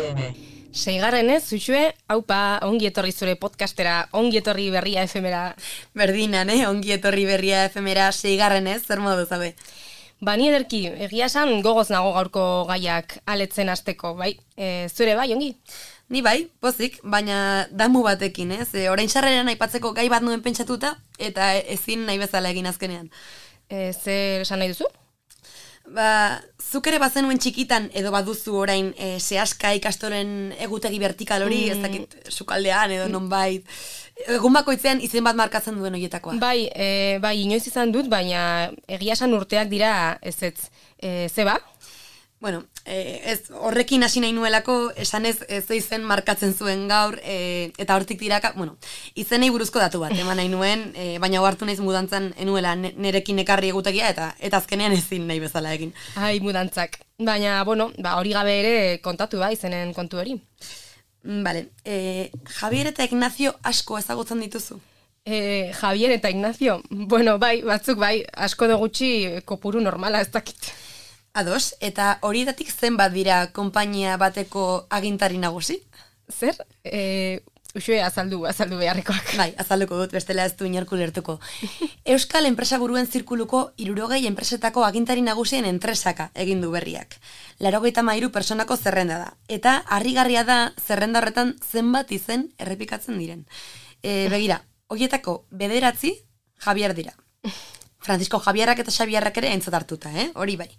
FM. Seigarrenez, zuxue, haupa, ongi etorri zure podcastera, ongi etorri berria efemera. Berdinan, ongi etorri berria efemera, seigarrenez, zer modu zabe? Ni ederki, egia esan gogoz nago gaurko gaiak aletzen hasteko, bai? Zure bai, ongi? Ni bai, pozik, baina damu batekin, ez? Orain sarreran aipatzeko gai bat nuen pentsatuta, eta ezin nahi bezala egin azkenean. Zer esan nahi duzu? Zuk ere bazenuen txikitan edo baduzu orain sehaska ikastolen egutegi vertikal hori, ez dakit sukaldean edo nonbait, egun bakoitzean izen bat markatzen duen horietakoa. Bai, inoiz izan dut, baina egia esan urteak dira ezetz. Zeba? Bueno, ez horrekin hasi nahi nuelako, esanez ze izen markatzen zuen gaur, eta hortik diraka, izenei buruzko datu bat, eman nahi nuen, baina hartu naiz mudantzan enuela nerekin ekarri egutegia, eta azkenean ezin nahi bezala egin. Ai, mudantzak. Baina, hori gabe ere kontatu izenen kontu hori. Bale, Javier eta Ignacio asko ezagutzen dituzu? Javier eta Ignacio? Bai, batzuk bai, asko da gutxi kopuru normala ez dakit. Ados, eta horietatik zenbat dira konpainia bateko agintari nagusi? Zer? Uxue, azaldu beharrekoak. Bai, azalduko dut, bestela ez du inorku lertuko. Euskal enpresa buruen zirkuluko 60 enpresetako agintari nagusien entresaka egin du berriak. 83 personako zerrenda da. Eta harrigarria da zerrenda horretan zenbat izen errepikatzen diren. Begira, horietako 9 Javier dira. Francisco Javierrak eta Xabierrak ere aintzat hartuta, hori bai.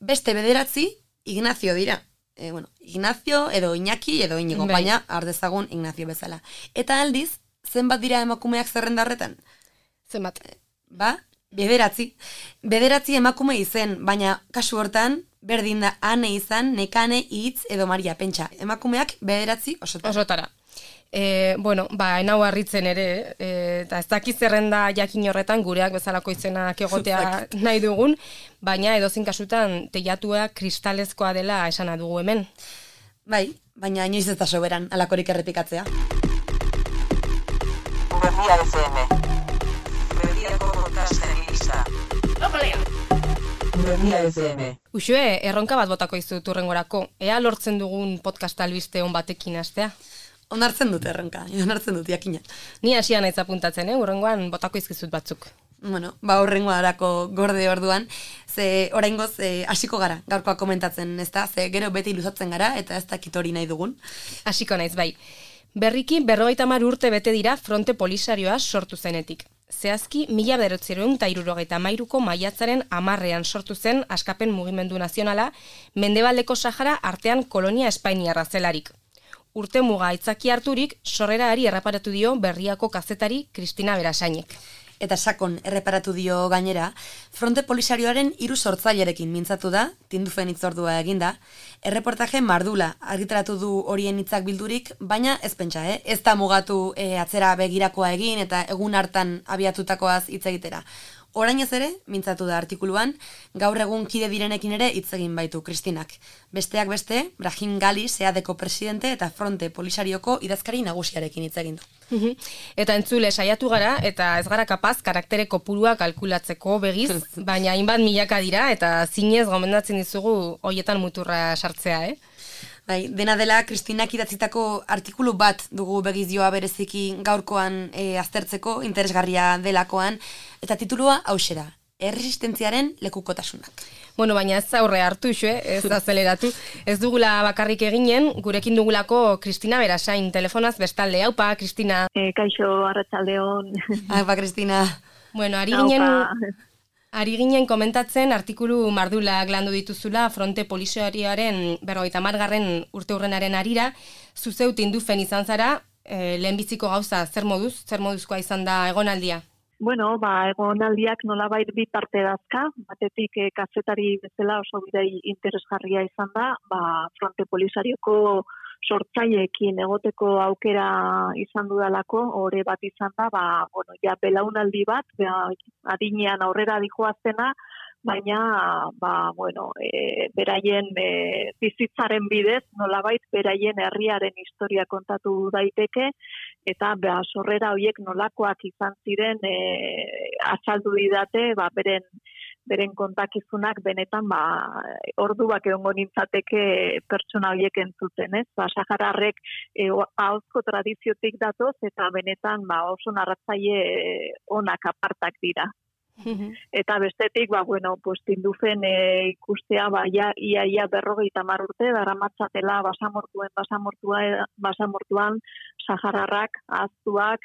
Beste 9 Ignacio dira. Ignacio edo Iñaki edo Iñigo, baina ardezagun Ignacio bezala. Eta aldiz, zenbat dira emakumeak zerrenda horretan? Zenbat? 9. 9 emakume izen, baina kasu hortan, berdin da Ane izan, Nekane, Itz edo Maria, pentsa. Emakumeak 9 osotara. Enau harritzen ere, eta ez dakiz zerrenda jakin horretan gureak bezalako izenak egotea nahi dugun, baina edozin kasutan teilatuak kristalezkoa dela esana dugu hemen. Bai, baina inoiz ez da soberan alakorik errepikatzea. Berria FM. Berriako podcastari gisa. Berria FM. Uxue, erronka bat botako izut urrengorako. Ea lortzen dugun podcast albiste on batekin hastea? Onartzen dut erronka, onartzen dut jakina. Ni hasia naiz apuntatzen, urrengoan botako izkizut batzuk. Urrengoarako gorde orduan, ze oraingoz hasiko gara, gaurkoa komentatzen, ezta? Ze gero beti luzatzen gara eta ez dakit hori nahi dugun. Hasiko naiz, bai. Berriki 50 urte bete dira Fronte Polisarioa sortu zenetik. Zehazki 1973ko maiatzaren 10ean sortu zen Askapen Mugimendu Nazionala, Mendebaldeko Sahara artean kolonia espainiarra zelarik. Urte muga aitzaki harturik, sorreraari erreparatu dio Berriako kazetari Kristina Berasainek. Eta sakon erreparatu dio gainera, Fronte Polisarioaren 3 sortzailerekin mintzatu da, tindufen hitzordua eginda, erreportaje mardula argitaratu du horien hitzak bildurik, baina ez pentsa, ez da mugatu atzera begirakoa egin eta egun hartan abiatutakoaz hitz egitera. Orainez ere, mintzatu da artikuluan, gaur egun kide direnekin ere hitz egin baitu Kristinak. Besteak beste, Brahim Gali, SEADeko presidente eta Fronte Polisarioko idazkari nagusiarekin hitz egin du. Eta entzule saiatu gara, eta ez gara kapaz karaktere kopurua kalkulatzeko begiz, baina hainbat milaka dira, eta zinez gomendatzen dizugu hoietan muturra sartzea, Bai, dena dela, Kristinak idatzitako artikulu bat dugu begizioa bereziki gaurkoan aztertzeko, interesgarria delakoan, eta titulua hauxera, erresistentziaren lekukotasunak. Baina ez aurre hartu, ez azeleratu. Ez dugula bakarrik eginen, gurekin dugulako Kristina Berasain, telefonaz bestalde. Haupa, Kristina. Kaixo, arratsaldeon. Haupa, Kristina. Ari ginen komentatzen artikulu mardulak landu dituzula Fronte Polisarioaren 50. urteurrenaren arira, zuzeu tindufen izan zara, lehenbiziko gauza, zer moduzkoa izan da egonaldia? Egonaldiak nolabait bi parte dazka, batetik kazetari bezala oso bidei interesgarria izan da, Fronte Polisarioko sortzaileekin egoteko aukera izan dudalako, ore bat izan da, belaunaldi bat, adinean aurrera dijoaztena, baina, beraien bizitzaren bidez, nolabait beraien herriaren historia kontatu daiteke, eta sorrera horiek nolakoak izan ziren azaldu didate, beren beren kontakizunak benetan orduak egongo nintzateke pertsona horiek entzuten, ez? Sahararrek ahozko tradiziotik datoz eta benetan oso narratzaile onak apartak dira. Eta bestetik, Tindufen ikustea, ia 50 urte, daramatzatela basamortuan sahararrak, ahaztuak,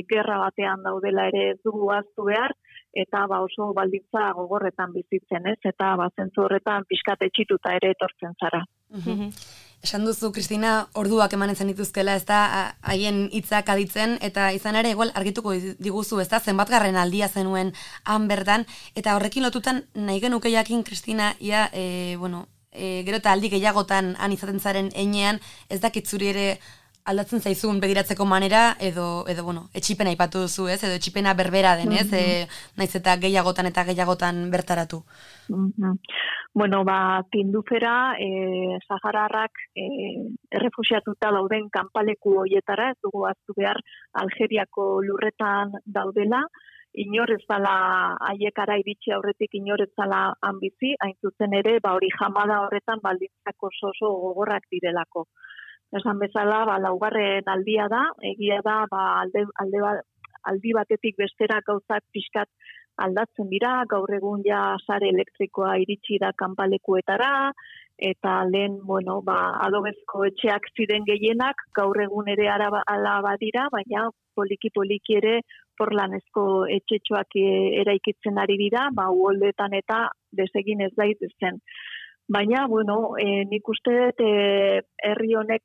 gerra batean daudela ere ez dugu ahaztu behar, eta oso baldintza gogorretan bizitzen, ez? Eta zentzu horretan pixkat etxituta ere etortzen zara. Esan duzu, Kristina, orduak emanen zenituzkela, ez da, haien hitzak aditzen, eta izan ere, igual, argituko diguzu, ez da, zenbatgarren aldia zenuen han berdan, eta horrekin lotutan nahi genuke jakin, Kristina, gero eta aldi gehiagotan han izaten zaren einean, ez dakit zuri ere aldatzen zaizun begiratzeko manera, edo etxipena aipatu duzu, ez? Edo etxipena berbera den, ez? Naiz eta gehiagotan bertaratu. Tindufera, sahararrak errefuxiatuta dauden kanpaleku hoietara, ez dugu ahaztu behar Algeriako lurretan daudela, inor ez dala haiekara iritsi aurretik inor ez dala han bizi, hain zuzen ere, hori jamada horretan baldintzak oso gogorrak direlako. Esan bezala, laugarren aldia da, egia da, aldi batetik bestera gauzak pixkat aldatzen dira, gaur egun ja sare elektrikoa iritsi da kanpalekuetara, eta lehen, adobezko etxeak ziren gehienak, gaur egun ere ala badira, baina poliki ere porlanezko etxetxoak eraikitzen ari dira, uholdetan eta desegin ez daitezen. Baina, nik uste dut herri honek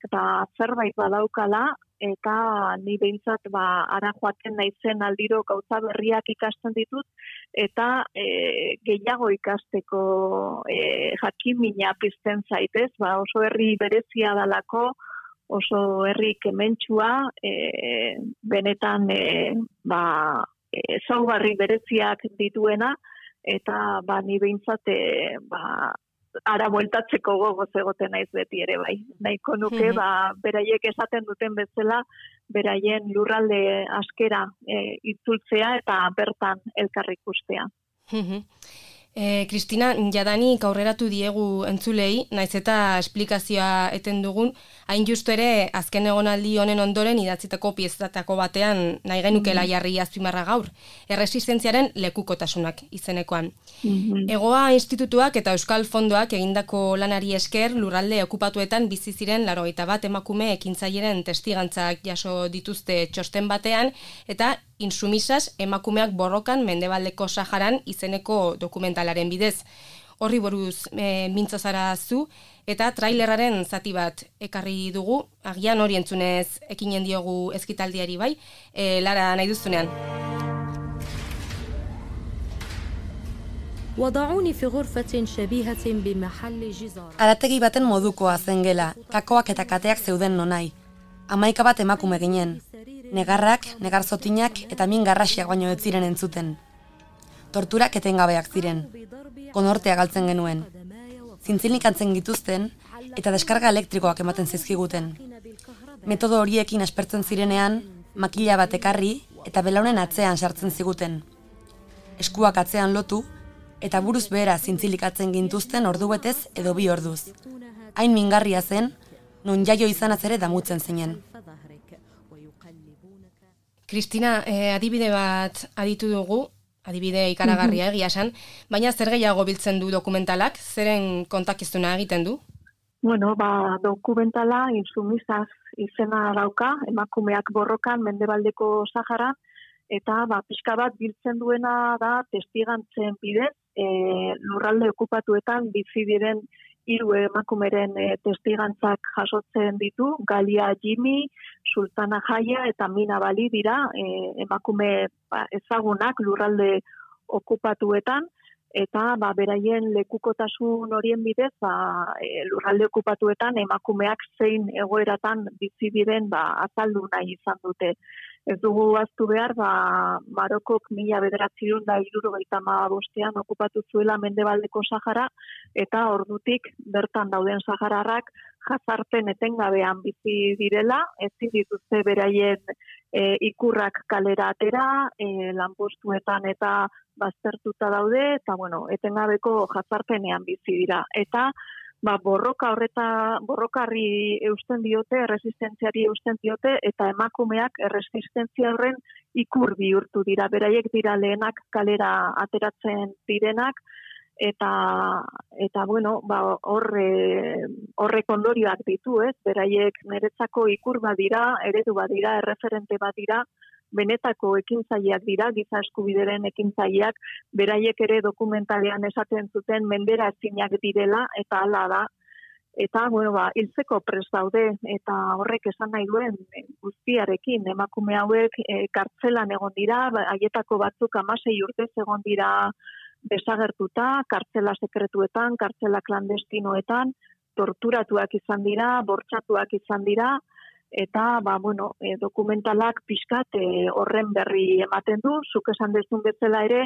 zerbait badaukala, eta ni behintzat ara joaten naizen aldiro gauza berriak ikasten ditut, eta gehiago ikasteko jakimina pizten zaitez, oso herri berezia dalako, oso herri kementsua, benetan ezaugarri bereziak dituena, eta ni behintzat ara bueltatzeko gogoz egoten naiz beti ere bai. Nahiko nuke, beraiek esaten duten bezala, beraien lurralde askera itzultzea eta bertan elkar ikustea. Kristina, jadanik aurreratu diegu entzulei, naiz eta esplikazioa eten dugun, hain justu ere azken egonaldi honen ondoren idatzitako piezatako batean nahi genukela jarri azpimarra gaur, erresistentziaren lekukotasunak izenekoan. Egoa institutuak eta Euskal Fondoak egindako lanari esker lurralde okupatuetan bizi ziren 81 emakume ekintzaileren testigantzak jaso dituzte txosten batean, eta Insumisas emakumeak borrokan Mendebaldeko Saharan izeneko dokumentalaren bidez. Horri buruz mintzo zara zu, eta trailerraren zati bat ekarri dugu, agian hori entzunez ekinen diogu ezkitaldiari bai, Lara nahi duzunean. Arategi baten modukoa zen gela, kakoak eta kateak zeuden nonai. 11 bat emakume ginen. Negarrak, negarzotinak eta min garrasiak baino ez ziren entzuten. Torturak etengabeak ziren. Konortea galtzen genuen. Zintzilik antzen gituzten eta deskarga elektrikoak ematen zizkiguten. Metodo horiekin aspertzen zirenean, makila bat ekarri eta belaunen atzean sartzen ziguten. Eskuak atzean lotu eta buruz behera zintzilikatzen gintuzten ordubetez edo 2 orduz. Hain mingarria zen, non jaio izanaz ere damutzen zinen. Kristina, adibide bat aditu dugu, adibide ikaragarria egia esan, baina zer gehiago biltzen du dokumentalak, zeren kontakizuna egiten du? Dokumentala Insumisas izena dauka, emakumeak borrokan Mendebaldeko Saharan, eta pixka bat biltzen duena da testigantzen bidez, lurralde okupatuetan bizi diren 3 emakumeren testigantzak jasotzen ditu, Galia Jimmy, Sultana Jaya eta Mina Bali dira emakume ezagunak lurralde okupatuetan, eta beraien lekukotasun horien bidez lurralde okupatuetan emakumeak zein egoeratan bizi diren azaldu nahi izan dute. Ez dugu aztu behar, Marokok 1975 okupatu zuela Mendebaldeko Sahara, eta ordutik bertan dauden sahararrak jazarpen etengabean bizi direla, ezin dituzte beraien ikurrak kalera atera, lanpostuetan eta baztertuta daude, eta etengabeko jazarpenean bizi dira. Eta borrokarri eusten diote, resistentziari eusten diote, eta emakumeak erresistentzia horren ikur bihurtu dira. Beraiek dira lehenak kalera ateratzen direnak, eta horrek ondorioak ditu, ez? Beraiek niretzako ikur badira, eredu badira, erreferente badira, benetako ekintzaileak dira, giza eskubideren ekintzaileak, beraiek ere dokumentalean esaten zuten mendera ezinak direla, eta hala da. Eta, hiltzeko prest daude, eta horrek esan nahi duen guztiarekin, emakume hauek kartzelan egon dira, haietako batzuk 16 urtez egon dira desagertuta, kartzela sekretuetan, kartzela klandestinoetan, torturatuak izan dira, bortxatuak izan dira, eta dokumentalak pixkat horren berri ematen du, zuk esan dezun bezala ere,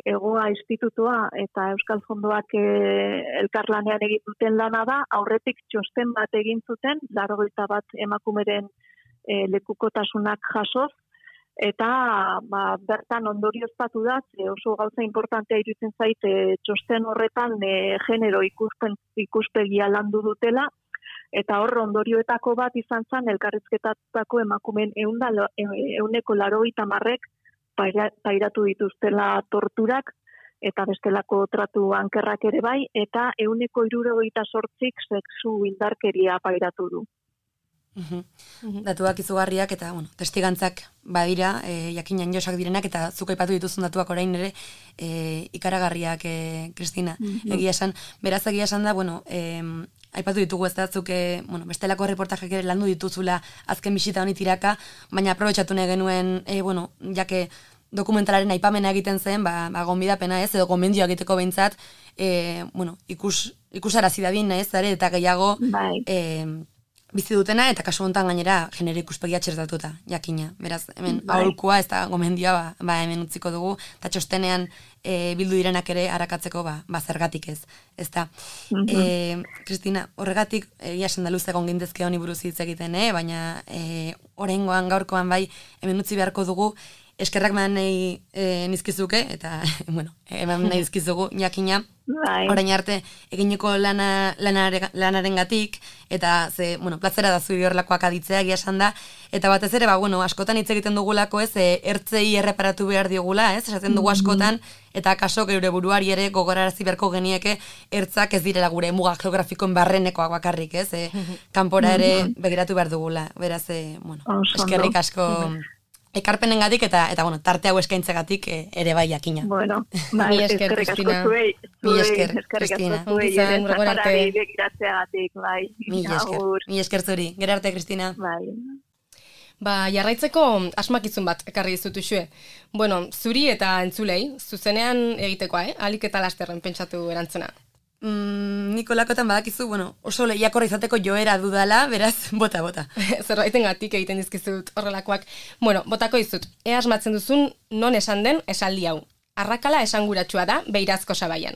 Egoa Institutua eta Euskal Fondoak elkarlanean egin duten lana da, aurretik txosten bat egin zuten, 81 emakumeren lekukotasunak jasoz, eta bertan ondorioztatu da, oso gauza importantea iruditzen zait, txosten horretan genero ikuspegia landu dutela, eta hor ondorioetako bat izan zen elkarrizketatutako emakumeen 180% pairatu dituztela torturak, eta bestelako tratu ankerrak ere bai, eta 168 sexu indarkeria pairatu du. Datuak izugarriak eta testigantzak badira, jakinan josak direnak, eta zuk aipatu dituzun datuak orain ere ikaragarriak, Kristina. Egia esan, beraz egia esan da, aipatu ditugu ez da, zuk bestelako reportajeak ere landu dituzula azken bisita honi tiraka, baina aprobetxatu nahi genuen, jake dokumentalaren aipamena egiten zen, gonbidapena ez, edo gomendio egiteko behintzat, ikusarazi dadin, ez, eta gehiago bizi dutena, eta kasu honetan gainera genero ikuspegia txertatuta, jakina. Beraz, hemen aholkua, ez da gomendioa, hemen utziko dugu, eta txostenean bildu direnak ere harakatzeko, zergatik ez. Ez da. Kristina, horregatik, esan da luze egon gindezke honi buruz hitz egiten, baina oraingoan gaurkoan hemen utzi beharko dugu, eskerrak eman nahi nizkizuke, eta, eman nahi nizkizugu, jakina, orain arte egineko lanaren gatik, eta plazera da zuri horrelakoak aditzea, egia esan da, eta batez ere, askotan hitz egiten dugulako, ez, ertzei erreparatu behar diogula, ez, esaten dugu askotan, eta kaso geure buruari ere gogorarazi beharko genieke ertzak ez direla gure muga geografikoen barrenekoak bakarrik, ez, kanpora ere begiratu behar dugula, beraz, eskerrik asko ekarpenengatik eta tarte hau eskaintzegatik ere bai jakina. Mi esker, Kristina. Mi esker, Kristina. Mi esker zuri. Gero arte, Kristina. Jarraitzeko asmakizun bat ekarri dizutuxue. Zuri eta entzulei, zuzenean egitekoa, alik eta lasterren pentsatu erantzuna. Nikolakotan badakizu, oso lehiakorra izateko joera dudala, beraz, bota. Zerbaitengatik egiten dizkizut horrelakoak. Botako dizut, ea asmatzen duzun non esan den esaldi hau. Arrakala esanguratsua da beirazko sabaian.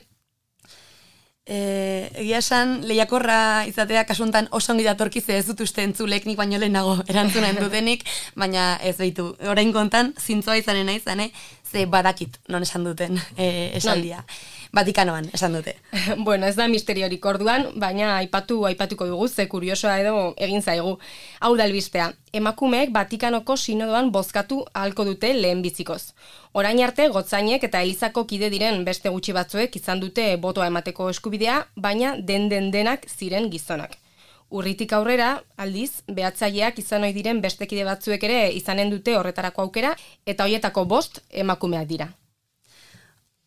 Egia esan, lehiakorra izatea kasuntan oso ongi datorkize ez dut uste entzulek nik baino lehenago erantzunen dutenik, baina ez behitu. Orain kontan, zintzoa izanen nahi zane, ze badakit non esan duten esaldia. Vatikanoan, esan dute. Ez da misteriorik orduan, baina aipatuko dugu, ze kuriosoa edo egin zaigu. Hau da albistea, emakumeek Vatikanoko sinodoan bozkatu ahalko dute lehen bizikoz. Orain arte, gotzainek eta elizako kide diren beste gutxi batzuek izan dute botoa emateko eskubidea, baina denak ziren gizonak. Urritik aurrera, aldiz, behatzaileak izan ohi diren beste kide batzuek ere izanen dute horretarako aukera, eta horietako 5 emakumeak dira.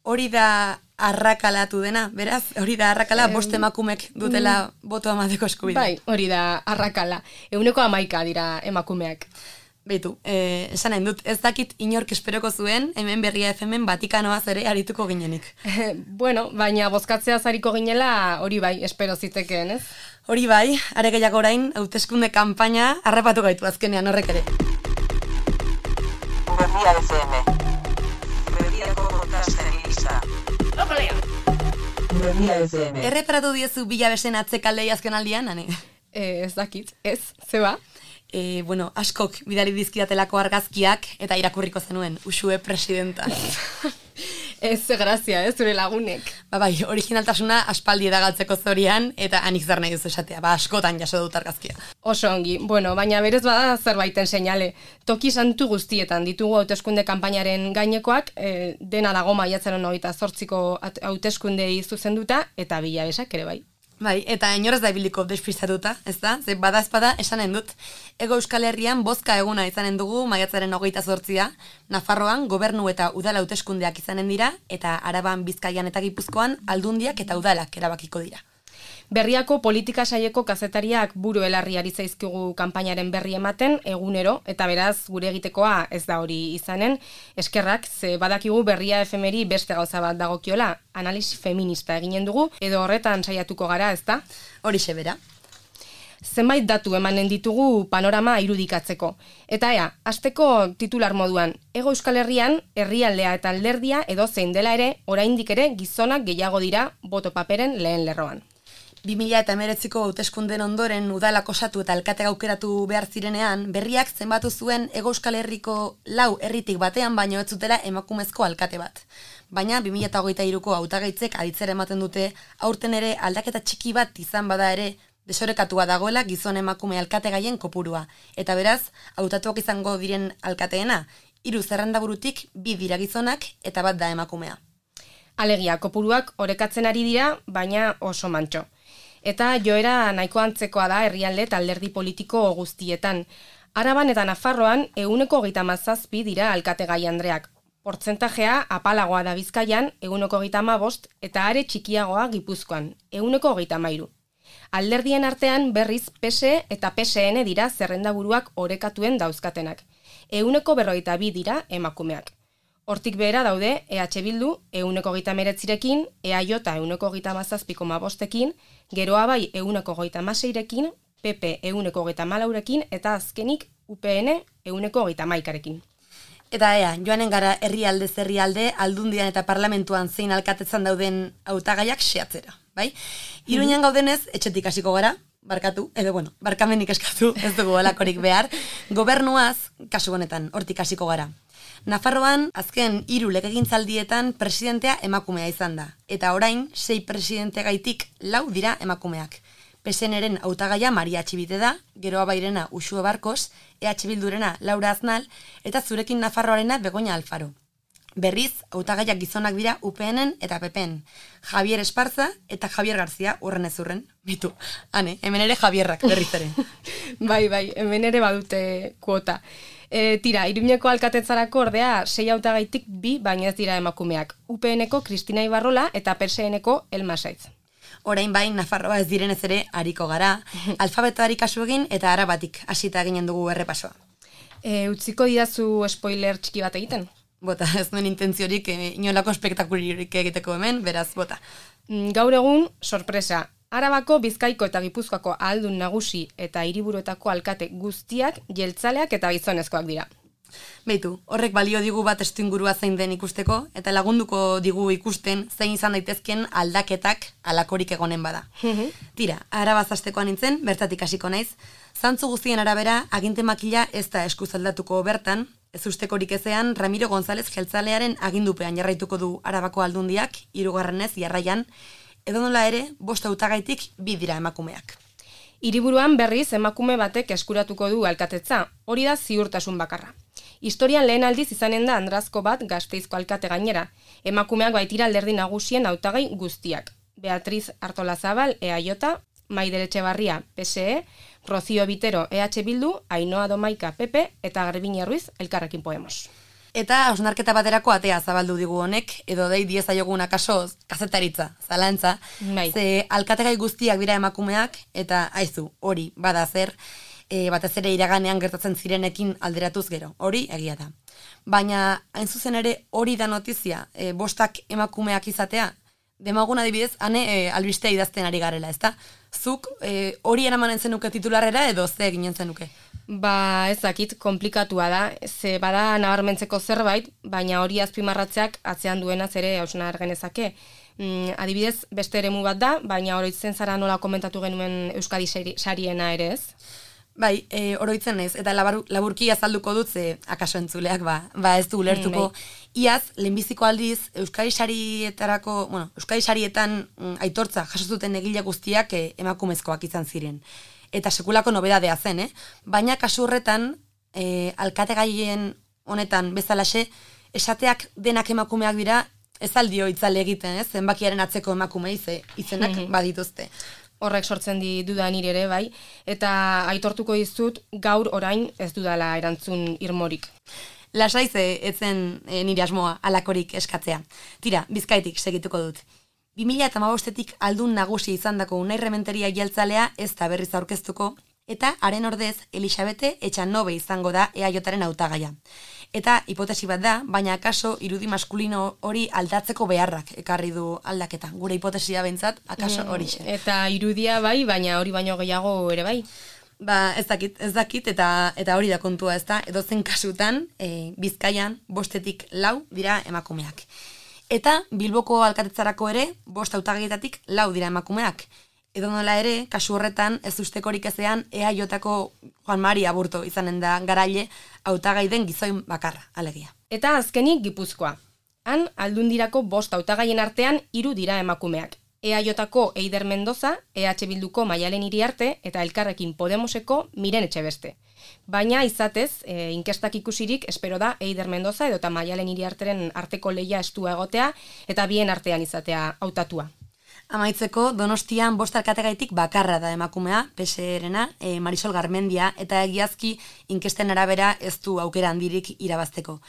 Hori da arrakalatu dena, beraz? Hori da arrakala 5 emakumek dutela botoa emateko eskubidea. Bai, hori da arrakala. 111 dira emakumeak. Beitu, esan nahi dut, ez dakit inork esperoko zuen, hemen Berria FM-en Vatikanoaz ere arituko ginenik. Baina bozkatzea zariko ginela hori bai, espero zitekeen, ez? Hori bai, are gehiago orain, hauteskunde kanpaina harrapatu gaitu azkenean horrek ere. Berria FM. Berriako podcasten lista. Berria FM. Erreparatu diezu Bilabesen atzekaldei azken aldian, ane? Ez dakit, ez, zeba? Bueno, askok bidali dizkidatelako argazkiak eta irakurriko zenuen, Uxue presidenta. Ez, grazia, zure lagunek. Bai, originaltasuna aspaldi edagaltzeko zorian, eta anik zer nahi duzu esatea, askotan jaso dut argazkia. Oso ongi, bueno, baina berez bada zerbaiten seinale. Toki santu guztietan ditugu hauteskunde kanpainaren gainekoak, dena dago maiatzaren 28ko hauteskundei zuzenduta, eta Bilabesak ere bai. Bai, eta inorez da ibiliko despistatuta, ez da? Ze bada esanen dut. Ego Euskal Herrian bozka eguna izanen dugu maiatzaren 28a, Nafarroan gobernu eta udala hauteskundeak izanen dira, eta Araban, Bizkaian eta Gipuzkoan aldundiak eta udalak erabakiko dira. Berriako politika saieko kazetariak buru elarriari zaizkigu kanpainaren berri ematen egunero, eta beraz gure egitekoa ez da hori izanen, eskerrak, ze badakigu Berria efemeri beste gauza bat dagokiola, analisi feminista eginen dugu, edo horretan saiatuko gara, ez da? Horixe bera. Zenbait datu emanen ditugu panorama irudikatzeko. Eta hasteko titular moduan, Hego Euskal Herrian, herrialdea eta alderdia edo zein dela ere, oraindik ere gizonak gehiago dira boto paperen lehen lerroan. 2019ko hauteskunden ondoren udalak osatu eta alkate aukeratu behar zirenean, Berriak zenbatu zuen Hego Euskal Herriko 4 herritik batean baino ez zutela emakumezko alkate bat. Baina 2023ko hautagaitzek aditzera ematen dute aurten ere aldaketa txiki bat izan bada ere desorekatua dagoela gizon emakume alkategaien kopurua. Eta beraz, hautatuak izango diren alkateena, 3 zerrendaburutik 2 dira gizonak eta bat da emakumea. Alegia, kopuruak orekatzen ari dira, baina oso mantxo. Eta joera nahiko antzekoa da herrialde eta alderdi politiko guztietan. Araban eta Nafarroan 37 dira alkategai andreak. Portzentajea apalagoa da Bizkaian 35 eta are txikiagoa Gipuzkoan 33. Alderdien artean berriz PSE eta PSN dira zerrendaburuak orekatuen dauzkatenak. 42 dira emakumeak. Hortik behera daude EH Bildu 139rekin, EAJ 137,5ekin, Geroa bai 136rekin, PP 134rekin eta azkenik UPN 131rekin. Eta joanen gara herrialdez herrialde, aldundian eta parlamentuan zein alkatetzan dauden hautagaiak xeatzera, bai? Iruñan gaudenez, etxetik hasiko gara, barkatu, edo barkamenik eskatu, ez dugu alakorik behar, gobernuaz, kasu honetan, hortik hasiko gara. Nafarroan, azken 3 legegintzaldietan presidentea emakumea izan da, eta orain 6 presidentegaitik 4 dira emakumeak. PSN-ren hautagaia Maria Txibite da, Geroa bairena Uxue Barkos, EH Bildurena Laura Aznal, eta zurekin Nafarroarena Begoña Alfaro. Berriz, hautagaiak gizonak dira UPN-en eta PP-en. Javier Esparza eta Javier Garzia urren ez urren. Bitu, hemen ere Javierrak berriz ere. Bai, hemen ere badute kuota. Tira, Iruñeko alkatetzarako ordea 6 hautagaitik 2 baina ez dira emakumeak. UPN-eko Kristina Ibarrola eta PSN-eko Elma Saiz. Orain bain, Nafarroa ez direnez ere hariko gara, alfabetoari kasu egin eta arabatik hasita ginen dugu errepasoa. Utziko didazu spoiler txiki bat egiten? Bota, ez nuen intentziorik inolako espektakulirik egiteko hemen, beraz, bota. Gaur egun, sorpresa, Arabako, Bizkaiko eta Gipuzkoako ahaldun nagusi eta hiriburuetako alkate guztiak jeltzaleak eta gizonezkoak dira. Beitu, horrek balio digu bat testuingurua zein den ikusteko, eta lagunduko digu ikusten zein izan daitezken aldaketak alakorik egonen bada. Tira, Arabaz hastekoa nintzen, bertatik hasiko naiz, zantzu guztien arabera, aginte makila ez da eskuz aldatuko bertan, ez ustekorik ezean, Ramiro González jeltzalearen agindupean jarraituko du Arabako aldundiak, 3. jarraian, edo nola ere, 5 hautagaitik 2 dira emakumeak. Hiriburuan berriz emakume batek eskuratuko du alkatetza, hori da ziurtasun bakarra. Historian lehen aldiz izanen da Andrazko bat Gasteizko alkate gainera. Emakumeak baitira alderdi nagusien hautagai guztiak. Beatriz Artolazabal, EAJ, Maider Etxebarria, PSE, Rocío Vitero, EH Bildu, Ainhoa Domaika, PP eta Garbiñe Ruiz, Elkarrekin Podemos. Eta hausnarketa baterako atea zabaldu digu honek, edo dei diezaiogun akaso kazetaritza, zalantza, ze alkategai guztiak dira emakumeak, eta aizu, hori, bada zer, batez ere iraganean gertatzen zirenekin alderatuz gero, hori egia da. Baina, hain zuzen ere, hori da notizia, 5 emakumeak izatea, demagun adibidez, albistea idazten ari garela, ezta? Zuk hori eramanen zenuke titularrera edo ze eginen zenuke? Ba, ez dakit, komplikatua da, ze bada nabarmentzeko zerbait, baina hori azpimarratzeak atzean duenaz ere hausnar genezake. Adibidez, beste eremu bat da, baina oroitzen zara nola komentatu genuen Euskadi sariena ere ez? Bai, oroitzen naiz, eta laburki azalduko dut, ze akaso entzuleak ez du ulertuko. Iaz, lehenbiziko aldiz, Euskadi sarietan aitortza jaso zuten egile guztiak emakumezkoak izan ziren. Eta sekulako nobedadea zen, baina kasu horretan, alkategaien honetan bezalaxe, esateak denak emakumeak dira, ez aldio itzale egiten, zenbakiaren atzeko emakumei izenak badituzte. Horrek sortzen duda nire ere, bai, eta aitortuko dizut gaur orain ez dudala erantzun irmorik. Lasai etzen nire asmoa alakorik eskatzea. Tira, Bizkaitik segituko dut. 2015etik aldun nagusi izandako Unai Rementeria jeltzalea ez da berriz aurkeztuko, eta haren ordez Elisabete Etxanobe izango da EAJaren hautagaia. Eta hipotesi bat da, baina akaso irudi maskulino hori aldatzeko beharrak ekarri du aldaketa. Gure hipotesia behintzat, akaso horixe. Eta irudia bai, baina hori baino gehiago ere bai. Ba, ez dakit, eta hori da kontua, ez da, edozen kasutan, Bizkaian 5-etik 4 dira emakumeak. Eta Bilboko alkatetzarako ere, 5 hautagaietatik 4 dira emakumeak. Edo nola ere, kasu horretan, ez ustekorik ezean, EAJko Juan Mari Aburto izanen da garaile hautagai den gizoin bakarra, alegia. Eta azkenik Gipuzkoa. Han, aldundirako 5 hautagaien artean 3 dira emakumeak. EAJko Eider Mendoza, EH Bilduko Maialen Iriarte eta Elkarrekin Podemoseko Miren Etxebeste. Baina izatez, inkestak ikusirik, espero da Eider Mendoza edo eta Maialen Iriarteren arteko lehia estua egotea eta bien artean izatea hautatua. Amaitzeko, Donostian 5 alkategaitik bakarra da emakumea, PSE-rena, Marisol Garmendia, eta egiazki inkesten arabera ez du aukera handirik irabazteko.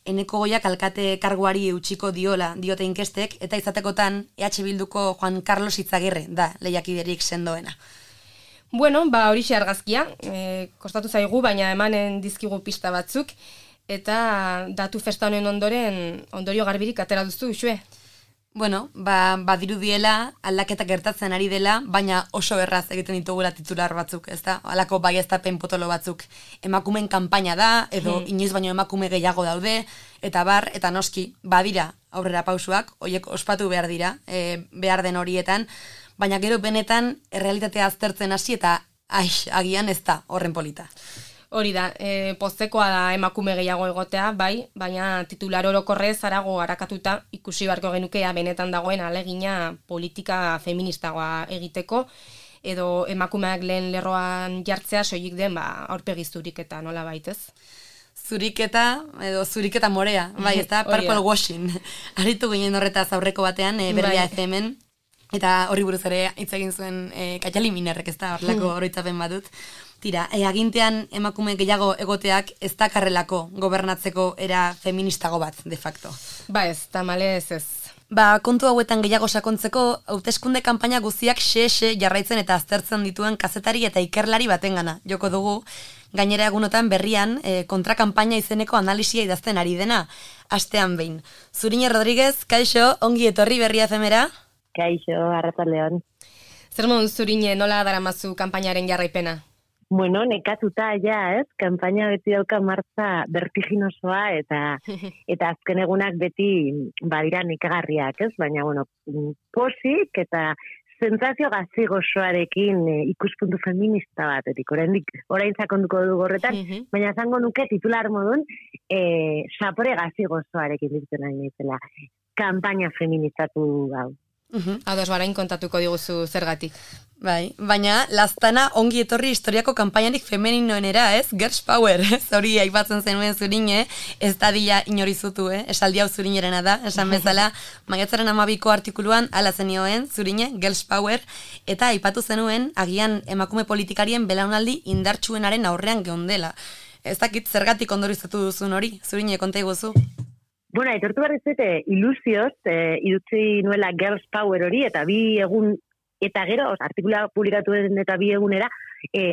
Eneko Goiak alkate karguari eutxiko diote inkestek, eta izatekotan EH Bilduko Juan Carlos Itzagirre da lehiakiderik sendoena. Bueno, horixe argazkia, kostatu zaigu, baina emanen dizkigu pista batzuk, eta datu festa honen ondorio garbirik atera duzu, Uxue? Bueno, badirudiela aldaketa gertatzen ari dela, baina oso erraz egiten ditugula titular batzuk, ezta? Halako baieztapen potolo batzuk. Emakumeen kanpaina da, edo inoiz baino emakume gehiago daude, eta noski, badira aurrera pausuak, horiek ospatu behar dira, behar den horietan, baina gero benetan errealitatea aztertzen hasi eta agian ez da horren polita. Hori da, poztekoa da emakume gehiago egotea, bai, baina titular orokorrez harago harakatuta ikusi beharko genukea benetan dagoen alegina politika feministagoa egiteko, edo emakumeak lehen lerroan jartzea soilik den aurpegi zuriketa nola baitez. Zuriketa morea, bai, ez da, purple washing. Aritu ginen horretaz aurreko batean, Berbia FM-en, eta horri buruz ere hitz egin zuen Kaitali Minerrek, ez da, horrelako oroitzapen badut. Tira, agintean emakume gehiago egoteak ez dakarrelako gobernatzeko era feministago bat, de facto. Ez, tamalez ez. Kontu hauetan gehiago sakontzeko, hauteskunde kanpaina guztiak xe jarraitzen eta aztertzen dituen kazetari eta ikerlari batengana joko dugu, gainera egunotan berrian kontrakanpaina izeneko analisia idazten ari dena, astean behin. Zurine Rodríguez, kaixo, ongi etorri Berria FM-era? Kaixo, arratsaldeon. Zer moduz Zurine, nola daramazu kanpainaren jarraipena? Bueno, nekatuta ja, kanpaina beti dauka martza vertiginosoa eta azken egunak beti badira nekagarriak, baina bueno, posik eta sentsazio gazi gozoarekin ikuspuntu feminista batetik. Orain sakonduko dugu horretan, baina zango nuke titular modun sapore gazi gozoarekin ditzen nahi naizela. Kanpaina feministatu gau. Ados barain kontatuko diguzu zergatik. Bai, baina lastana ongi etorri historiako kanpainarik femeninoenera, Girls Power, hori aipatzen zenuen Zurine, ez da dila inorizutu, esaldi hau Zurinerena da, esan bezala, maiatzaren 12ko artikuluan ala zenioen Zurine, Girls Power, eta aipatu zenuen agian emakume politikarien belaunaldi indartsuenaren aurrean geundela. Ez dakit zergatik ondorizatu duzun hori, Zurine, konta iguzu. Bueno, aitortu behar ez ilusioz, idutzi nuela Girls Power hori, eta 2 egun, eta gero, artikula publikatu den eta 2 egunera,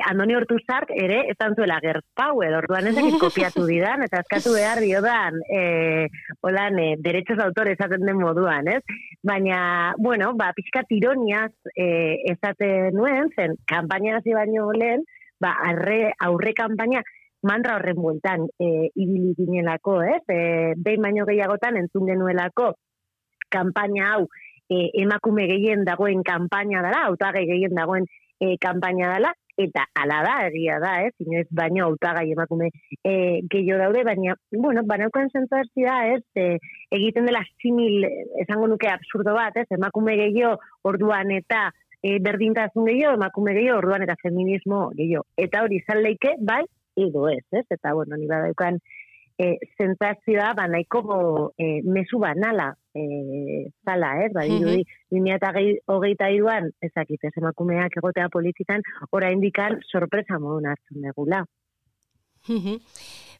Andoni Ortuzark ere, ez zuela Girls Power, orduan ezakit kopiatu didan, eta eskatu behar diodan, derechos de autor esaten den moduan, ez? Baina, bueno, pixkat ironiaz esaten nuen, zen, kanpaina hasi baino lehen, aurre kanpaina mantra horren bueltan ibili ginelako, ez? Behin baino gehiagotan entzun genuelako kanpaina hau emakume gehien dagoen kanpaina dela, hautagai gehien dagoen kanpaina dela, eta hala da, egia da, ez? Inoiz baino hautagai emakume gehiago daude, baina, bueno, banaukan sentsazioa, ez? Egiten dela simil, esango nuke absurdo bat, ez? Emakume gehiago orduan eta berdintasun gehiago, emakume gehiago orduan eta feminismo gehiago. Eta hori izan leike, bai, edo ez, ez? Eta, bueno, ni badaukan sentsazioa, nahiko mezu banala zala, ez? Badirudi, 2023an, ezakit, ez emakumeak egotea politikan, oraindikan sorpresa modun hartzen degula.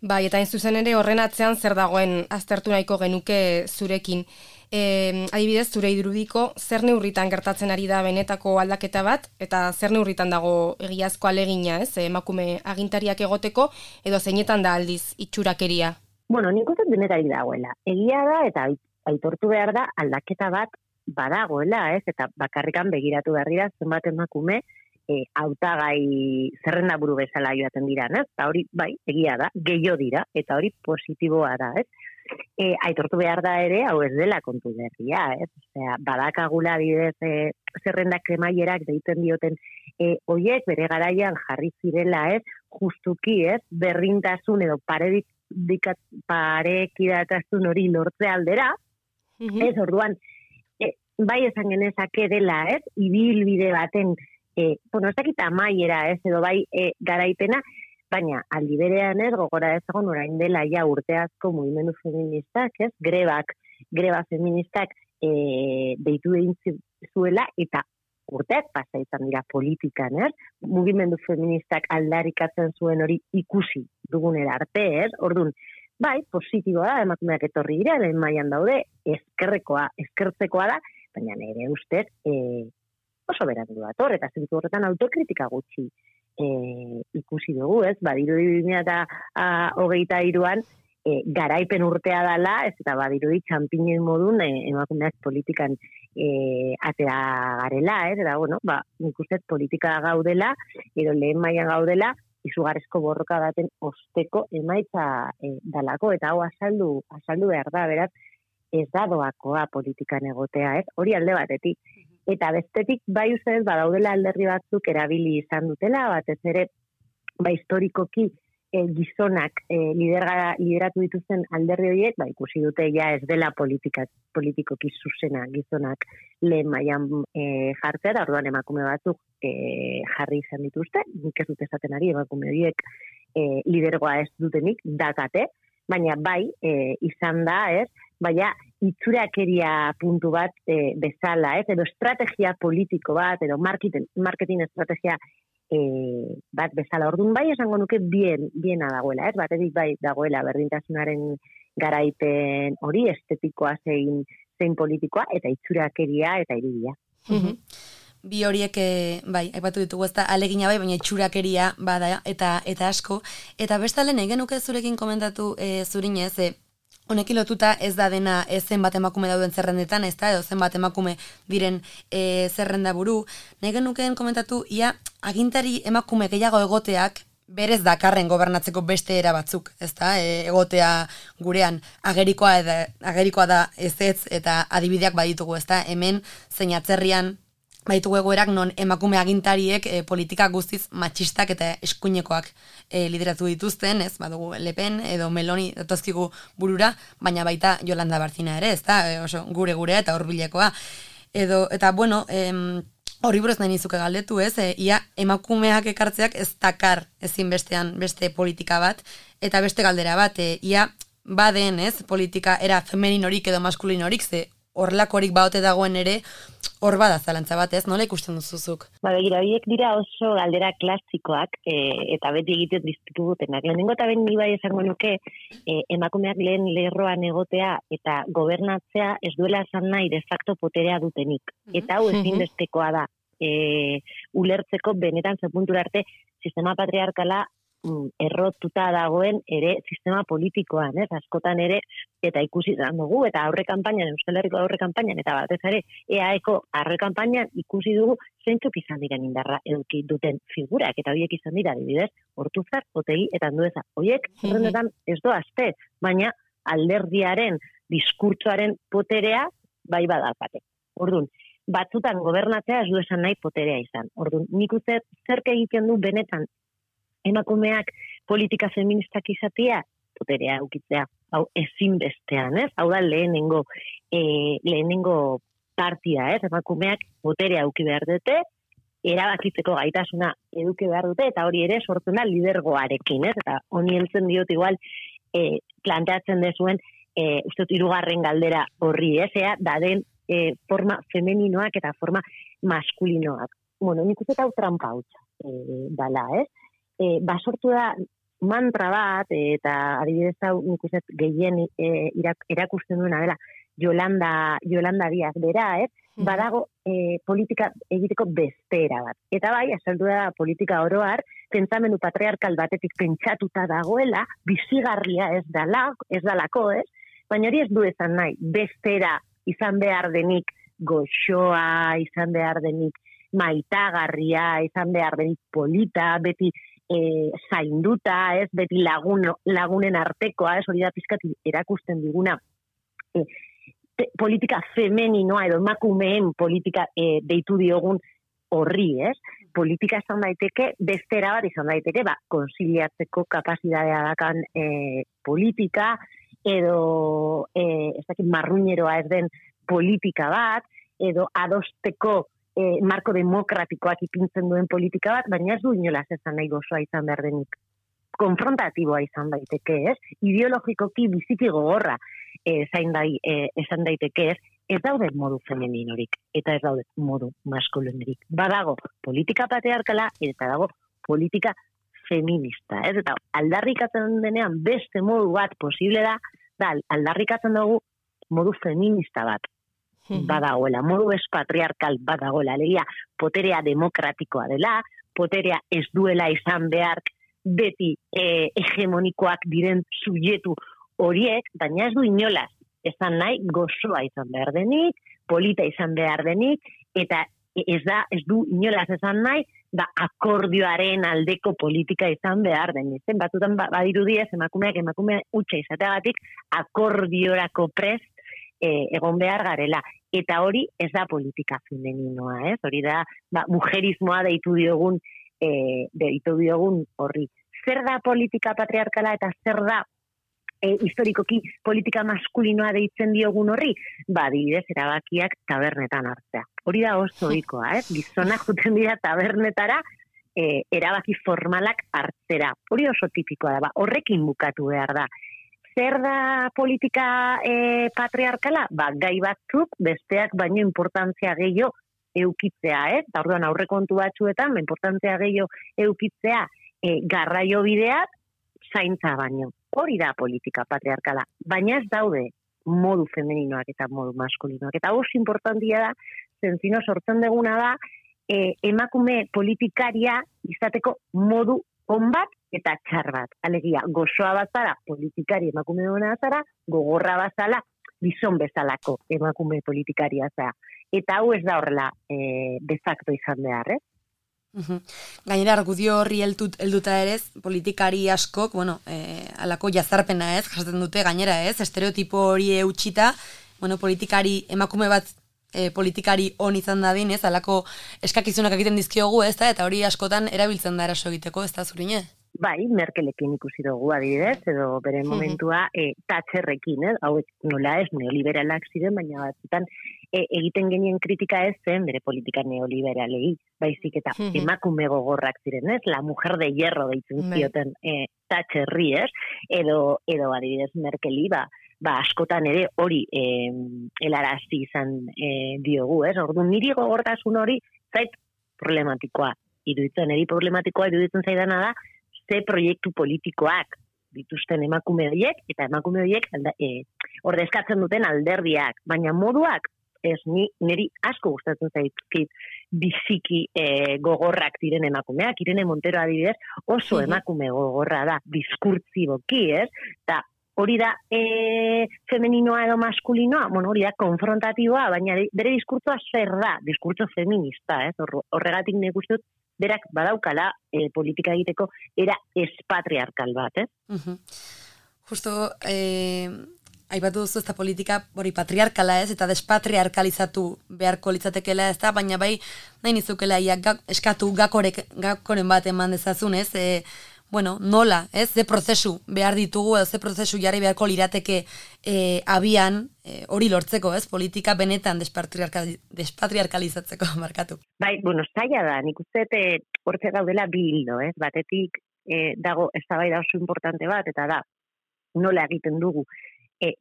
Bai, eta hain zuzen ere horren atzean zer dagoen aztertu nahiko genuke zurekin. Adibidez, zure irudiko zer neurritan gertatzen ari da benetako aldaketa bat, eta zer neurritan dago egiazko alegina, ez? Emakume agintariak egoteko, edo zeinetan da aldiz itxurakeria? Bueno, nik uste denetari dagoela. Egia da, eta aitortu behar da, aldaketa bat badagoela, ez? Eta bakarrikan begiratu behar dira, zenbat emakume hautagai zerrenda buru bezala joaten dira, ez? Eta hori, bai, egia da, gehiago dira, eta hori positiboa da, ez? Aitortu behar da ere, hau ez dela kontu berria, ez? Osea, badakagula bidez zerrendak kremaierak deiten dioten hoiek bere garaian jarri zirela, ez? Justuki, ez? Berrintasun edo parekidatasun hori lortze aldera, ez? Orduan, bai esan genezake dela, ez? Ibilbide baten, bueno, ez dakit amaiera, ez? Edo bai garaipena, baina aldi berean ez gogora ezagon orain dela ja urte asko mugimendu feministak, ez? Greba feministak deitu egin zuela eta urteak pasa izan dira politikan, ez? Mugimendu feministak aldarrikatzen zuen hori ikusi dugunera arte, ez? Orduan, bai, positiboa da, emakumeak etorri dira, lehen mailan daude, eskertzekoa da, baina nire ustez oso berandu dator, eta zentzu horretan autokritika gutxi ikusi dugu, ez? Badirudi 2023an garaipen urtea dela, ez eta badirudi txampinen modun emakumeak politikan atera garela, ez? Eta, bueno, nik ustez politika gaudela, edo lehen mailan gaudela, izugarrizko borroka baten osteko emaitza dalako, eta hau azaldu behar da, beraz, ez da doakoa politikan egotea, ez? Hori alde batetik. Eta bestetik, bai ustez, badaudela alderri batzuk erabili izan dutela, batez ere, historikoki gizonak lideratu dituzten alderri horiek, ikusi dute ja ez dela politikoki zuzena gizonak lehen mailan jartzea, da orduan emakume batzuk jarri izan dituzte, nik ez dut esaten ari emakume horiek lidergoa ez dutenik, dakate, baina bai izan da, ez? Baina itxurakeria puntu bat bezala, ez? Edo estrategia politiko bat, edo marketing estrategia bat bezala. Orduan bai esango nuke biena dagoela, ez? Batetik bai dagoela berdintasunaren garaipen hori, estetikoa zein politikoa, eta itxurakeria eta irudia. Bi horiek, bai, aipatu ditugu ez da alegina bai, baina itxurakeria bada eta asko. Eta bestalde nahi genuke zurekin komentatu zurinez, honekin lotuta ez da dena zenbat emakume dauden zerrendetan, ez da, edo zenbat emakume diren zerrenda buru. Nahi genukeen komentatu, ia agintari emakume gehiago egoteak berez dakarren gobernatzeko beste era batzuk, ez da, egotea gurean agerikoa da ez eta adibideak baditugu, ez da, hemen zein atzerrian baitugu egoerak non emakume agintariek politika guztiz matxistak eta eskuinekoak lideratu dituzten, ez, badugu Le Pen edo Meloni datozkigu burura, baina baita Yolanda Barcina ere, ez da, oso gure eta hurbilekoa. Eta bueno, horri buruz nahi nizuke galdetu, ez, ia emakumeak ekartzeak ez dakar ezinbestean beste politika bat, eta beste galdera bat, ia baden, ez, politika era femeninorik edo maskulinorik, ze horrelakorik baote dagoen ere, hor bada zalantza bat, ez? Nola ikusten duzuzuk? Begira, horiek dira oso galdera klasikoak, eta beti egiten dizkigutenak. Lehenengo eta ben ni bai esango nuke, emakumeak lehen lerroan egotea eta gobernatzea ez duela esan nahi de facto poterea dutenik. Eta hau ezinbestekoa da. Ulertzeko benetan ze puntura arte sistema patriarkala errotuta dagoen ere sistema politikoan, askotan ere, eta ikusi dugu, eta aurre kanpainan, Euskal Herriko aurre kanpainan, eta batez ere, EAeko aurre kanpainan ikusi dugu zeintzuk izan diren indarra eduki duten figurak, eta horiek izan dira, adibidez, Ortuzar, Otegi, eta Andueza. Horiek, zerrendetan ez doazte, baina alderdiaren, diskurtsoaren poterea, bai badalkate. Orduan, batzutan gobernatzea ez du esan nahi poterea izan. Orduan, nik uste zerk egiten du benetan emakumeak politika feministak izatea, poterea eukitzea, hau ezinbestean, Hau da lehenengo partia, emakumeak poterea euki behar dute, erabakitzeko gaitasuna eduki behar dute, eta hori ere sortzen da lidergoarekin, Eta honi heltzen diot igual planteatzen dezuen, uste dut 3. galdera horri, Ea da den forma femeninoak eta forma maskulinoak. Bueno, nik uste hau trampa hutsa dala, Basortu da mantra bat, eta adibidez hau nik uste gehien erakusten duena dela Yolanda Díaz bera, badago politika egiteko bestera bat. Eta bai, azaldu da politika oroar, pentsamendu patriarkal batetik pentsatuta dagoela, bizigarria ez dalako, baina hori ez du esan nahi, bestera izan behar denik goxoa, izan behar denik maitagarria, izan behar denik polita, beti zainduta, beti lagunen artekoa, hori da pizkat erakusten diguna politika femeninoa edo emakumeen politika deitu diogun horri, Politika izan daiteke, bestera bat izan daiteke, konsiliatzeko kapazitatea dakan politika, edo marruñeroa ez den politika bat, edo adosteko marko demokratikoak ipintzen duen politika bat, baina ez du inolaz esan nahi gozoa izan behar denik. Konfrontatiboa izan daiteke, ideologikoki biziki gogorra esan daiteke, ez daude modu femeninorik, eta ez daude modu maskulinorik. Badago politika patriarkala, eta dago politika feminista, Eta aldarrikatzen denean beste modu bat posible da aldarrikatzen dugu modu feminista bat. Badagoela, modu espatriarkal badagoela, alegia poterea demokratikoa dela, poterea ez duela izan behar beti hegemonikoak diren subjektu horiek, baina ez du inolaz esan nahi gozoa izan behar denik, polita izan behar denik, eta ez du inolaz esan nahi akordioaren aldeko politika izan behar denik. Batzutan badirudiez emakume hutsa izateagatik akordiorako prest egon behar garela. Eta hori ez da politika femeninoa, Hori da, mujerismoa deitu diogun horri. Zer da politika patriarkala eta zer da historikoki politika maskulinoa deitzen diogun horri? Adibidez, erabakiak tabernetan hartzea. Hori da oso ohikoa, Gizonak juten dira tabernetara erabaki formalak hartzera. Hori oso tipikoa da, horrekin bukatu behar da. Zer da politika patriarkala? Gai batzuk besteak baino importantzia gehiago eukitzea, Eta orduan aurrekontu batzuetan, importantzia gehiago eukitzea garraio bideak zaintza baino. Hori da politika patriarkala, baina ez daude modu femeninoak eta modu maskulinoak. Eta oso importantia da, zentzino sortzen deguna da, emakume politikaria izateko modu on bat eta txar bat. Alegia, gozoa bazara politikari emakume hona bazara, gogorra bazala, gizon bezalako emakume politikaria zara. Eta hau ez da horrela de facto izan behar, Gainera, argudio horri helduta ere, politikari askok, alako jazarpena jasaten dute, gainera estereotipo hori eutxita, politikari, emakume bat politikari on izan dadin, alako eskakizunak egiten dizkiogu, eta hori askotan erabiltzen da eraso egiteko, ez da zurine? Bai, Merkelekin ikusi dugu adibidez, edo bere momentua Thatcherrekin, hau nola ez neoliberalak ziren, baina batzutan egiten genien kritika ez zen bere politika neoliberalei, baizik eta emakume gogorrak ziren, la mujer de hierro deitzen zioten Thatcherri, edo adibidez Merkeli, askotan ere hori helarazi izan diogu, Orduan niri gogortasun hori zait problematikoa iruditzen, zaidana da, ze proiektu politikoak dituzten emakume horiek, eta emakume horiek ordezkatzen duten alderdiak, baina moduak ez niri asko gustatzen zaizkit biziki gogorrak diren emakumeak, Irene Montero adibidez oso emakume gogorra da, diskurtsiboki, ez? Ta hori da femeninoa edo maskulinoa, hori da konfrontatiboa, baina bere diskurtsoa zer da, diskurtso feminista, ez? Horregatik nik uste dut berak badaukala politika egiteko era espatriarkal bat, ez? Justo, aipatu duzu ez da politika hori patriarkala ez, eta despatriarkalizatu beharko litzatekela ez da, baina bai nahi nizukela eskatu gakoren bat eman dezazun ez, nola, ez, ze prozesu behar ditugu, edo ze prozesu jarri beharko lirateke abian hori lortzeko, ez, politika benetan despatriarkalizatzeko markatu. Bai, zaila da, nik uste hortze gaudela bi hildo, ez, batetik dago eztabaida oso importante bat, eta da, nola egiten dugu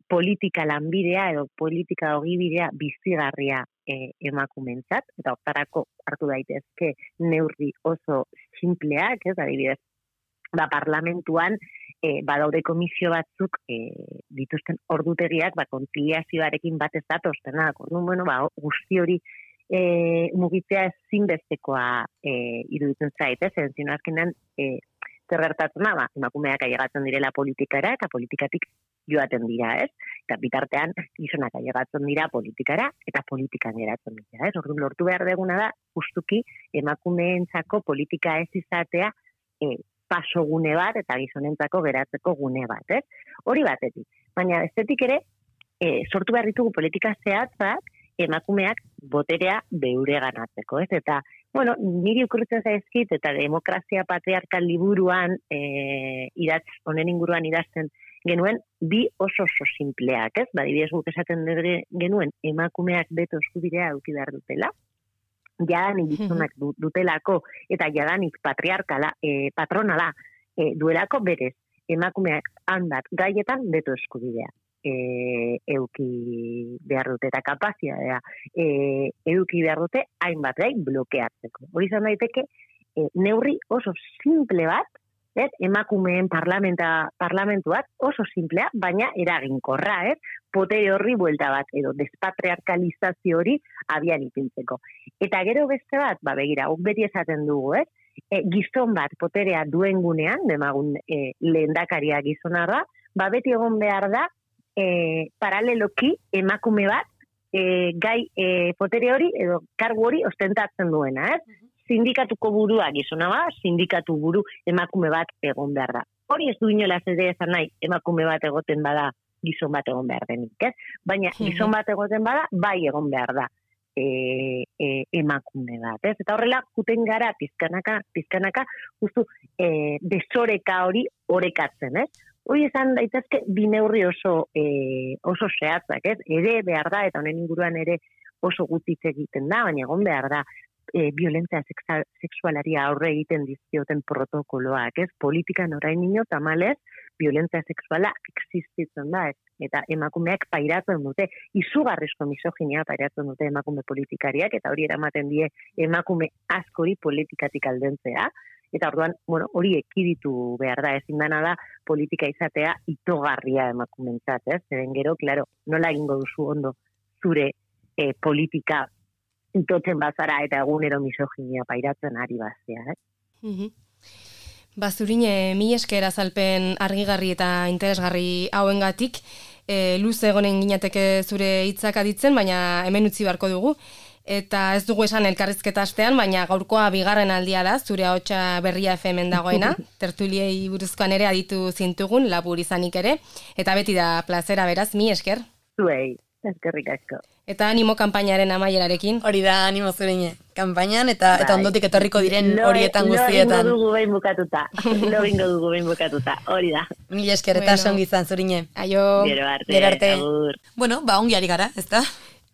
politika lanbidea edo politika ogibidea bizigarria emakumentzat, eta hortarako hartu daitezke neurri oso sinpleak, ez, adibidez, parlamentuan badaude komisio batzuk dituzten ordutegiak kontziliazioarekin bat ez datoztenak. Guzti hori mugitzea ezinbestekoa iruditzen zait, zen azkenan zer gertatzen da, emakumeak ailegatzen direla politikara eta politikatik joaten dira, ez? Eta bitartean gizonak ailegatzen dira politikara eta politikan geratzen dira, ez? Orduan lortu behar deguna da justuki emakumeentzako politika ez izatea paso gune bat eta gizonentzako geratzeko gune bat, ez? Hori batetik. Baina bestetik ere, sortu behar ditugu politika zehatzak emakumeak boterea beure ganatzeko, ez? Eta, niri okurritzen zaizkit eta demokrazia patriarkal liburuan honen inguruan idazten genuen bi oso simpleak, ez? Adibidez guk esaten genuen emakumeak beto eskubidea eduki behar dutela, jadanik gizonak dutelako eta jadanik patronala duelako berez emakumeak handat gaietan beto eskubidea euki behar dute eta kapazitatea eduki behar dute hainbat gai blokeatzeko. Hori izan daiteke neurri oso simple bat, emakumeen parlamentuak oso simplea, baina eraginkorra, potere horri buelta bat, edo despatriarkalizazio hori abian ipintzeko. Eta gero beste bat, begira, guk beti esaten dugu, gizon bat poterea duen gunean, demagun lehendakaria gizona da, beti egon behar da, paraleloki emakume bat, gai potere hori, edo kargu hori ostentatzen duena, sindikatuko burua gizona bat, sindikatu buru emakume bat egon behar da. Hori ez du inolaz ere esan nahi, emakume bat egoten bada, gizon bat egon behar denik, baina gizon bat egoten bada, bai egon behar da emakume bat, Eta horrela, juten gara pizkanaka, justu desoreka hori orekatzen, Hori esan daitezke bi neurri oso zehatzak, Ere behar da, eta honen inguruan ere oso gutitz egiten da, baina egon behar da, violentzia sexualari aurre egiten dizkioten protokoloak, Politikan orain tamalez, violentzia sexuala existitzen da, Eta emakumeak pairatzen dute, izugarrizko misoginia pairatzen dute emakume politikariak, eta hori eramaten die emakume askori politikatik aldentzea, eta orduan, hori ekiditu behar da, ezin dana da politika izatea itogarria emakumentzat, Zeren gero, klaro, nola egingo duzu ondo zure politika itotzen bazara eta egunero misoginia pairatzen ari bazea, Zurine, mi esker azalpen argigarri eta interesgarri hauengatik, luze egonen ginateke zure hitzak aditzen, baina hemen utzi beharko dugu. Eta ez dugu esan elkarrizketa astean, baina gaurkoa bigarren aldia da, zure ahotsa Berria FM-en dagoena, tertuliei buruzkoan ere aditu zintugun, labur izanik ere, eta beti da plazera beraz, mi esker. Zuei, eskerrik asko. Eta animo kanpainaren amaierarekin. Hori da, animo Zurine, kanpainan eta ondotik etorriko diren horietan guztietan. Lo ingo dugu behin bukatuta, hori da. Mil esker eta songi izan, Zurine. Aio. Gero arte. Ongi ari gara, ez da?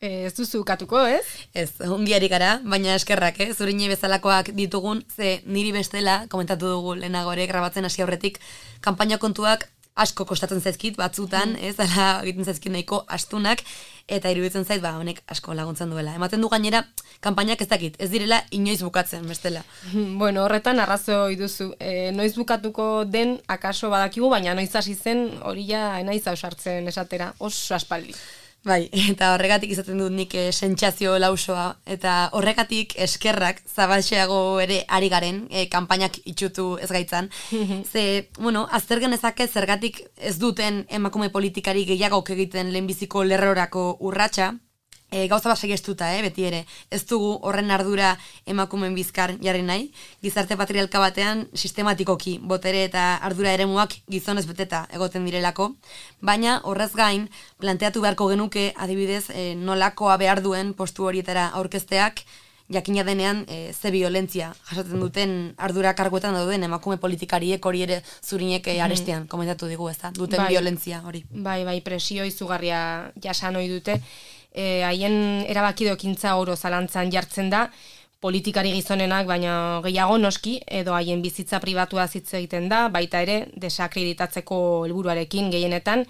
Ez duzu ukatuko, ez? Ez, ongi ari gara, baina eskerrak, Zurine bezalakoak ditugun, ze niri bestela, komentatu dugu lehenago ere, grabatzen hasi aurretik, kanpaina kontuak asko kostatzen zaizkit batzutan, ala egiten zaizkit nahiko astunak, eta iruditzen zait, honek asko laguntzen duela. Ematen du gainera, kanpainak ez dakit, ez direla inoiz bukatzen, bestela. Horretan arrazoi duzu. Noiz bukatuko den akaso badakigu, baina noiz hasi zen hori ja naiz ausartzen esatera, oso aspaldi. Bai, eta horregatik izaten dut nik sentsazio lausoa, eta horregatik eskerrak zabaltxeago ere ari garen, kanpainak itxutu ez gaitzan. Ze, azter genezake zergatik ez duten emakume politikari gehiagok egiten lehenbiziko lerrorako urratsa, gauza bat segestuta, beti ere. Ez dugu horren ardura emakumeen bizkar jarri nahi. Gizarte patriarka batean sistematikoki botere eta ardura eremuak gizonez beteta egoten direlako. Baina horrez gain planteatu beharko genuke adibidez nolakoa behar duen postu horietara aurkezteak jakina denean ze violentzia jasaten duten ardura karguetan dauden emakume politikariek hori ere zurinek arestian komentatu digu, ezta? Duten violentzia hori. Bai, presio izugarria jasan ohi dute. Haien erabakidokintza oro zalantzan jartzen da, politikari gizonenak, baina gehiago noski, edo haien bizitza pribatua hitz egiten da, baita ere desakreditatzeko helburuarekin gehienetan,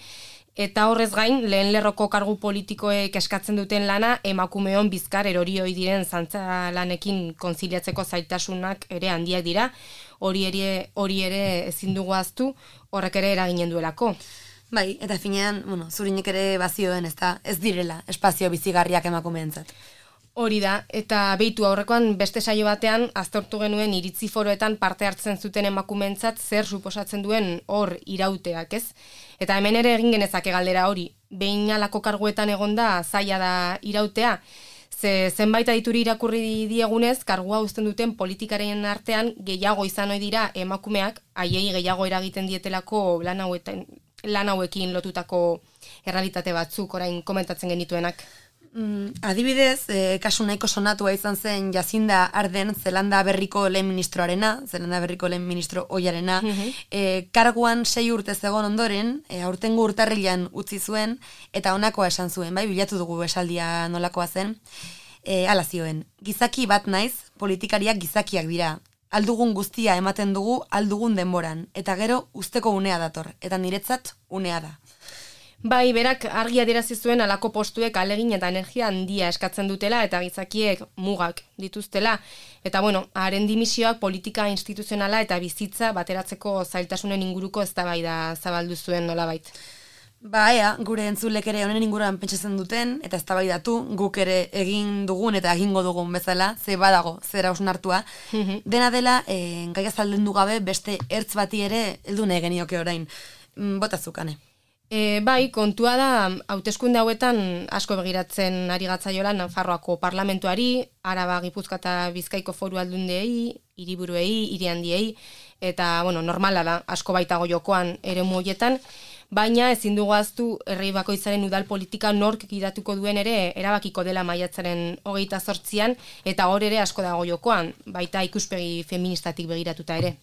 eta horrez gain, lehen lerroko kargu politikoek eskatzen duten lana, emakumeon bizkar erori ohi diren zantza lanekin konziliatzeko zaitasunak ere handiak dira, hori ere ezin dugu ahaztu, horrek ere eraginen duelako. Bai, eta finean, zurinek ere bazioen, ez direla espazio bizigarriak emakumeentzat. Hori da, eta behitu aurrekoan beste saio batean aztertu genuen iritzi foroetan parte hartzen zuten emakumeentzat zer suposatzen duen hor irauteak, ez? Eta hemen ere egin genezake galdera hori, behin alako karguetan egonda zaila da irautea, zenbait adituri irakurri diegunez, kargua uzten duten politikaren artean gehiago izan ohi dira emakumeak, haiei gehiago eragiten dietelako lan hauekin lotutako errealitate batzuk orain komentatzen genituenak. Adibidez, kasu nahiko sonatua izan zen Jacinda Ardern, Zelanda Berriko lehen ministro ohiarena, karguan 6 urte zegoen ondoren, aurtengo urtarrilean utzi zuen, eta honakoa esan zuen, bai, bilatu dugu esaldia nolakoa zen, hala zioen, gizaki bat naiz, politikariak gizakiak dira, aldugun guztia ematen dugu aldugun denboran, eta gero usteko unea dator, eta niretzat unea da. Bai, berak argi adierazi zuen alako postuek alegin eta energia handia eskatzen dutela eta gizakiek mugak dituztela. Eta haren dimisioak politika instituzionala eta bizitza bateratzeko zailtasunen inguruko eztabaida zabaldu zuen nolabait. Ba, gure entzulek ere honen inguruan pentsatzen duten, eta eztabaidatu guk ere egin dugun eta egingo dugun bezala, ze badago, zera hausnartua. Dena dela, gaia zaldendu gabe beste ertz bati ere heldu nahi genioke orain. Botazukane. Bai, kontua da, hauteskunde hauetan asko begiratzen ari gatzaiola Nafarroako parlamentuari, Araba, Gipuzkoa eta Bizkaiko foru aldundeei, hiriburuei, hiri handiei, eta, normala da, asko baitago jokoan eremu horietan, baina ezin dugu ahaztu herri bakoitzaren udal politika nork gidatuko duen ere erabakiko dela maiatzaren 28an, eta hor ere asko dago jokoan, baita ikuspegi feministatik begiratuta ere.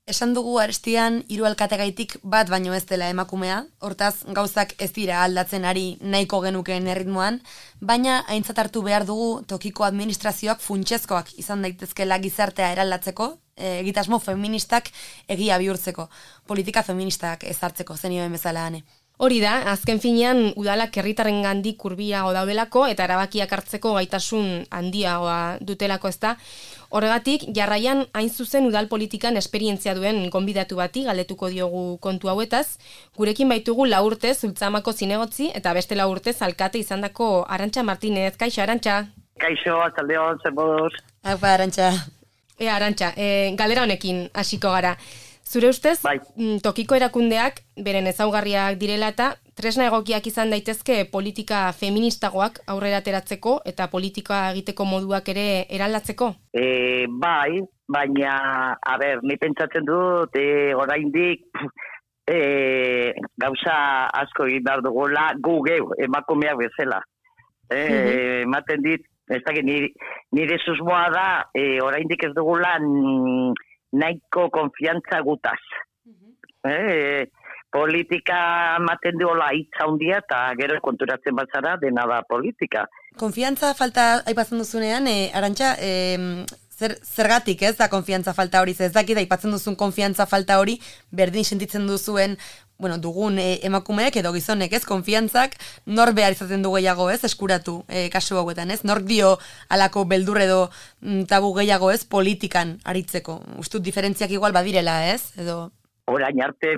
Esan dugu arestian 3 alkategaitik bat baino ez dela emakumea, hortaz gauzak ez dira aldatzen ari nahiko genukeen erritmoan, baina aintzat hartu behar dugu tokiko administrazioak funtsezkoak izan daitezkela gizartea eraldatzeko, egitasmo feministak egia bihurtzeko, politika feministak ezartzeko, zenioen bezala ane. Hori da, azken finean udalak herritarrengandik hurbilago daudelako eta erabakiak hartzeko gaitasun handiagoa dutelako, ezta. Horregatik, jarraian hain zuzen udal politikan esperientzia duen gonbidatu bati galdetuko diogu kontu hauetaz. Gurekin baitugu 4 urtez Ultzamako zinegotzi eta beste 4 urtez alkate izandako Arantxa Martinez. Kaixo, Arantxa? Kaixo, ataldeon, zer moduz? Apa, Arantxa. Arantxa, galdera honekin hasiko gara. Zure ustez, bai. Tokiko erakundeak beren ezaugarriak direla eta tresna egokiak izan daitezke politika feministagoak aurrera ateratzeko eta politika egiteko moduak ere eraldatzeko? Bai, baina, ni pentsatzen dut, oraindik gauza asko egin behar dugula gu geu, emakumeak bezala. Ematen dit, ez dakit, nire susmoa da, oraindik ez dugula nahiko konfiantza gutaz. Politika ematen duela hitza handia eta gero konturatzen bazara dena da politika. Konfiantza falta aipatzen duzunean, Arantxa, zergatik ez da konfiantza falta hori, ez dakit aipatzen duzun konfiantza falta hori berdin sentitzen duzuen dugun emakumeek edo gizonek, ez, konfiantzak nor behar izaten du gehiago, ez, eskuratu kasu hauetan, ez, nor dio alako beldur edo tabu gehiago, ez, politikan aritzeko. Ustut diferentziak igual badirela, ez, edo... Orain arte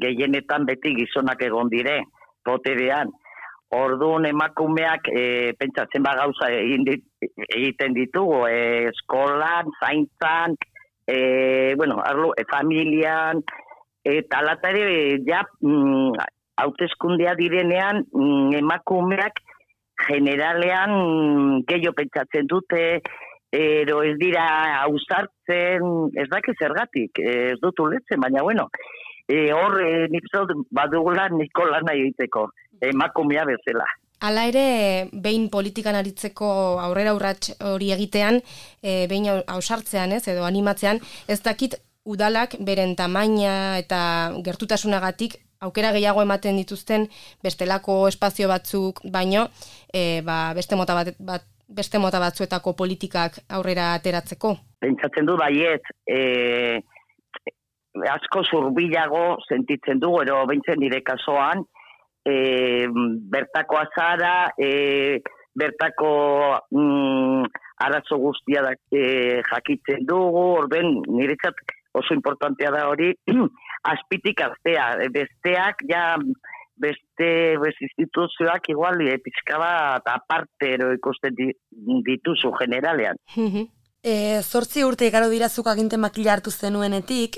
gehienetan beti gizonak egon dire, boterean. Orduan emakumeak pentsatzen gauza egiten ditugu, eskolan, zaintzan, familian, eta alatare ja hauteskundea direnean emakumeak generalean gehiago pentsatzen dute, ero ez dira ausartzen, ez daki zergatik, ez dut ulertzen, baina hor nik badugula niko lana egiteko, emakumea bezala. Hala ere, behin politikan aritzeko aurrera urrats hori egitean, behin ausartzean edo animatzean, ez dakit udalak beren tamaina eta gertutasunagatik aukera gehiago ematen dituzten bestelako espazio batzuk, baino beste mota batzuetako politikak aurrera ateratzeko. Pentsatzen du baiet, asko zurbilago sentitzen dugu, ero behintzen nire kasoan, bertako azara, bertako arazo guztia jakitzen dugu, orden niretzat oso importantea da hori, azpitik aztea, besteak ja beste instituzioak igual pixka bat aparte ikusten dituzu generalean. 8 urte igaro dirazuk aginte makila hartu zenuenetik,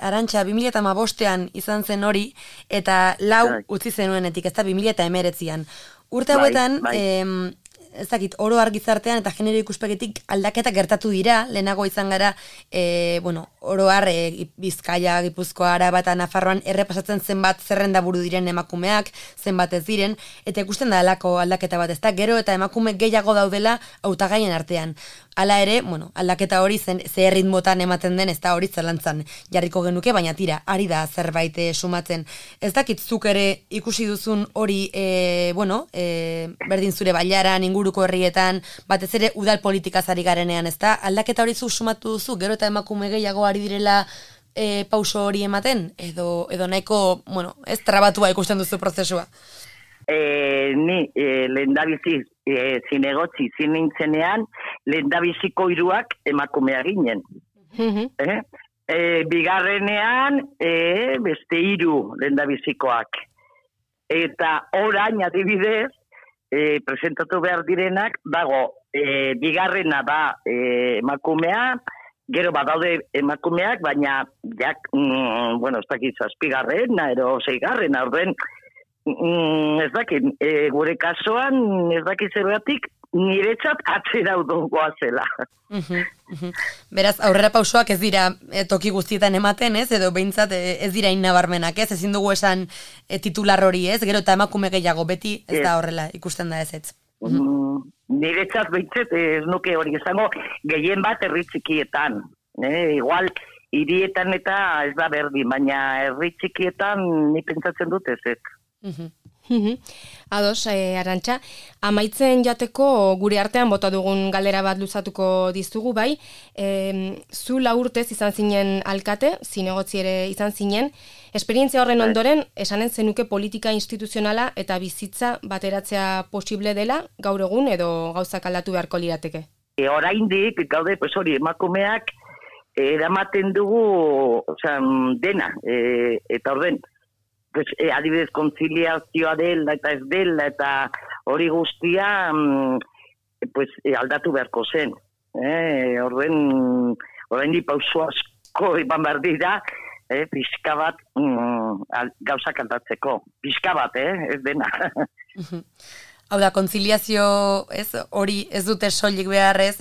Arantxa 2015an izan zen hori, eta 4 utzi zenuenetik, ez da 2019an. Urte hauetan, ez dakit, oro argizartean eta genero ikuspegitik aldaketa gertatu dira, lehenago izan gara, oro har Bizkaia, Gipuzkoa, Araba eta Nafarroan errepasatzen zenbat zerrenda buru diren emakumeak, zenbat ez diren, eta ikusten da alako aldaketa bat, ez da, gero eta emakume gehiago daudela hautagaien artean. Hala ere, aldaketa hori ze erritmotan ematen den, ez da hori zelantzan jarriko genuke, baina tira, ari da zerbait sumatzen. Ez dakit zuk ere ikusi duzun hori, berdin zure bailaran, inguruko herrietan, batez ere udal politikaz ari garenean, ez da? Aldaketa hori zu sumatu duzu, gero eta emakume gehiago ari direla pauso hori ematen, edo nahiko, ez trabatua ikusten duzu prozesua? Ni lehendabizi zinegotzi zinintzenean lehendabiziko 3 emakumea ginen. Bigarrenean beste 3 lehendabizikoak. Eta orain adibidez presentatu behar direnak dago bigarrena da emakumea, gero badaude emakumeak, baina ez dakit 7garrena ero 6garrena, orden ez dakit, gure kasuan ez dakit zergatik niretzat atzera udongoa zela. Beraz, aurrera pausoak ez dira toki guztietan ematen, ez? Edo behintzat ez dira innabarmenak, ez? Ezin dugu esan titular hori, ez? Gero eta emakume gehiago beti ez da horrela ikusten da ez. Niretzat behintzat ez nuke hori izango gehien bat herri txikietan. Igual, hirietan eta ez da berdin, baina herri txikietan ni pentsatzen dut ez. Ados, Arantxa, amaitzen jateko gure artean bota dugun galdera bat luzatuko dizugu, bai, zu 4 urtez izan zinen alkate, zinegotzi ere izan zinen, esperientzia horren ondoren, esanen zenuke politika instituzionala eta bizitza bateratzea posible dela, gaur egun edo gauzak aldatu beharko lirateke? Oraindik, gaude, hori, emakumeak eramaten dugu dena, eta orden, adibidez kontziliazioa dela eta ez dela eta hori guztia aldatu beharko zen. Orain pauso asko eman behar dira, pixka bat gauzak aldatzeko. Pixka bat, ez dena. Hau da, kontziliazio, hori ez dute soilik beharrez,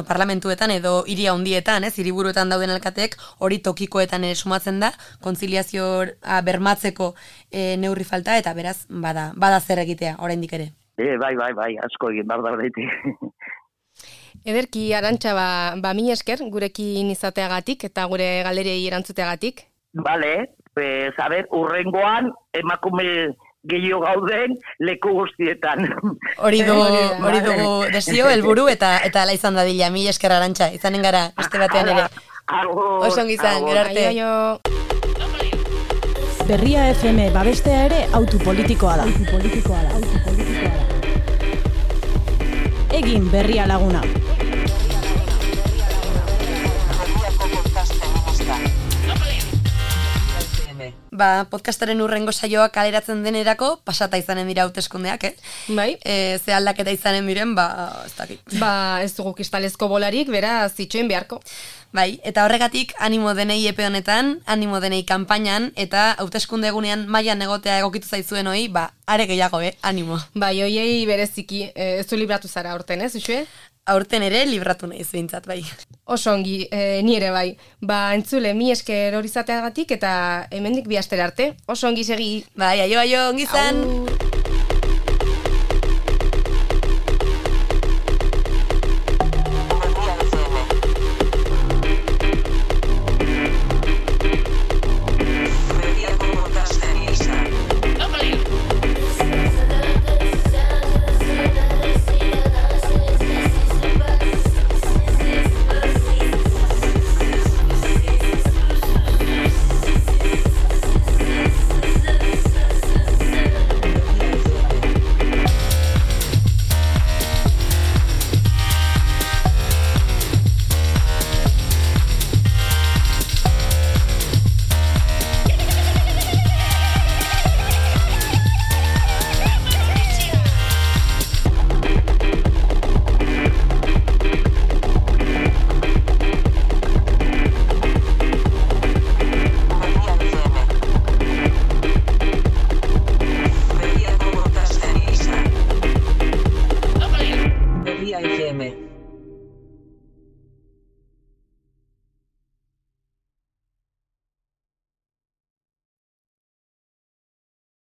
parlamentuetan edo hiri handietan, hiriburuetan dauden alkateek, hori tokikoetan ere sumatzen da, kontziliazioa bermatzeko neurri falta, eta beraz, bada zer egitea, oraindik ere. Bai, asko egin, bardaurretik. Ederki, Arantxa, mila esker, gurekin izateagatik, eta gure galderei erantzuteagatik. Bale, urrengoan, emakume gehiago gauden leku guztietan. Hori dugu desio, helburu eta ala izan dadila. Mila esker, Arantxa, izanen gara, beste batean ere. Oso ongi izan, gero arte. Berria FM babestea ere autu politikoa da. Egin Berria Laguna. podcastaren urrengo saioa kaleratzen denerako pasata izanen dira hauteskundeak, Bai. Ze aldaketa izanen diren, ez dakit. Ez dugu kristalezko bolarik, beraz itxoin beharko. Bai, eta horregatik animo denei epe honetan, animo denei kanpainan, eta hauteskunde egunean mailan egotea egokitu zaizuen hoi, are gehiago, animo. Bai, hoiei bereziki, ez du libratu zara aurten, Uxue? Aurten ere libratu nahi zuintzat, bai. Oso ongi, ni ere bai. Entzule, mi esker hori izateagatik eta hemendik bi astera arte. Oso ongi segi. Bai, aio, ongi zan. FM.